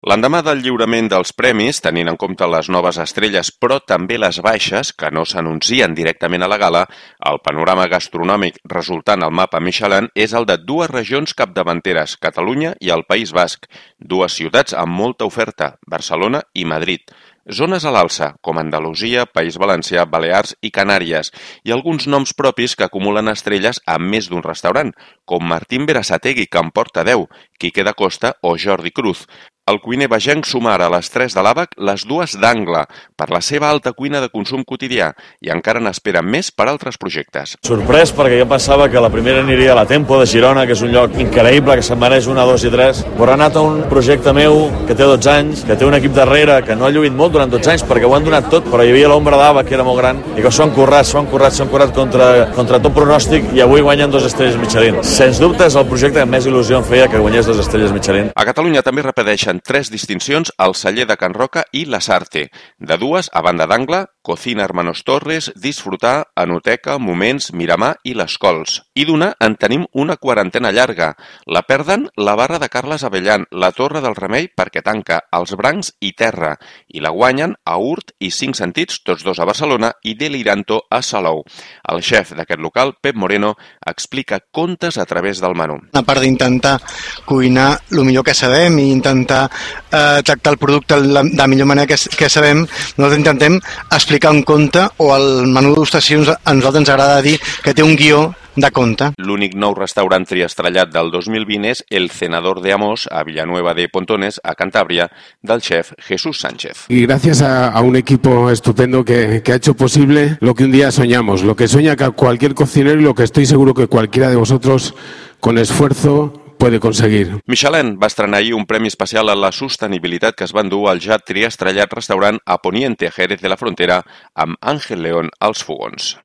L'endemà del lliurament dels premis, tenint en compte les noves estrelles però també les baixes, que no s'anuncien directament a la gala, el panorama gastronòmic resultant al mapa Michelin és el de dues regions capdavanteres, Catalunya i el País Basc, dues ciutats amb molta oferta, Barcelona i Madrid. Zones a l'alça, com Andalusia, País Valencià, Balears i Canàries, i alguns noms propis que acumulen estrelles a més d'un restaurant, com Martín Berasategui, que en porta 10, Quique da Costa o Jordi Cruz. El cuiner bagenc suma ara a les 3 de l'Àbac les dues d'Angle, per la seva alta cuina de consum quotidià, i encara n'espera més per altres projectes. Sorprès perquè jo pensava que la primera aniria a la Tempo de Girona, que és un lloc increïble, que se'n mereix 1, 2 i 3, però ha anat a un projecte meu que té 12 anys, que té un equip darrere, que no ha lluït molt durant 12 anys, perquè ho han donat tot, però hi havia l'ombra d'Àbac, que era molt gran, i que s'ho han currat contra tot pronòstic, i avui guanyen 2 estrelles Michelin. Sens dubte és el projecte que més il·lusió em feia que guanyés 2 estrelles Michelin. A Catalunya també repeteixen 3 distincions al celler de Can Roca i la Sarte. De dues, a banda d'Angle, Cocina Hermanos Torres, Disfrutar, Enoteca, Moments, Miramar i Les Cols. I d'una en tenim una quarantena llarga. La perden la barra de Carles Avellan, la Torre del Remei perquè tanca Els Brancs i Terra, i la guanyen a Urt i 5 Sentits, tots dos a Barcelona, i Deliranto a Salou. El xef d'aquest local, Pep Moreno, explica contes a través del menú. A part d'intentar cuinar el millor que sabem i intentar tractar el producte de la millor manera que sabem, nosaltres intentem explicar un conte, o el menú d'degustacions a nosaltres ens agrada dir que té un guió de conte. L'únic nou restaurant triestrellat del 2020 és El Cenador de Amos, a Villanueva de Pontones, a Cantabria, del chef Jesús Sánchez. Y gracias a un equipo estupendo que ha hecho posible lo que un día soñamos, lo que sueña cualquier cocinero y lo que estoy seguro que cualquiera de vosotros, con esfuerzo, puede conseguir. Michelin va estrenar ahir un premi especial a la sostenibilitat que es va endur al ja triestrellat restaurant a Poniente, Jerez de la Frontera, amb Ángel León als fogons.